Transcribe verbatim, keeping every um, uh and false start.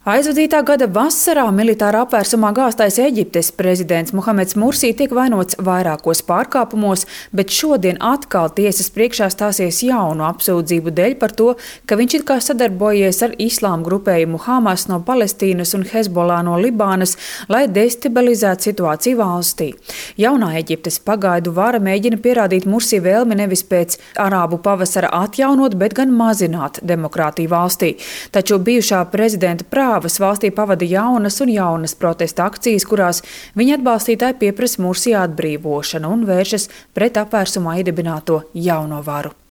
Aizvadītā gada vasarā militārā apvērsumā gāztais Eģiptes prezidents Muhameds Mursī tiek vainots vairākos pārkāpumos, bet šodien atkal tiesas priekšā stāsies jaunu apsūdzību dēļ par to, ka viņš it kā sadarbojies ar islāma grupējumu Hamas no Palestīnas un Hezbollah no Libānas, lai destabilizētu situāciju valstī. Jaunā Eģiptes pagaidu vara mēģina pierādīt Mursī vēlmi nevis pēc arābu pavasara atjaunot, bet gan mazināt demokrātiju valstī. Taču bijušā prezidenta prāva valstī pavada jaunas un jaunas protesta akcijas, kurās viņa atbalstītāji pieprasa Mursī atbrīvošanu un vēršas pret apvērsumā iedibināto jauno varu.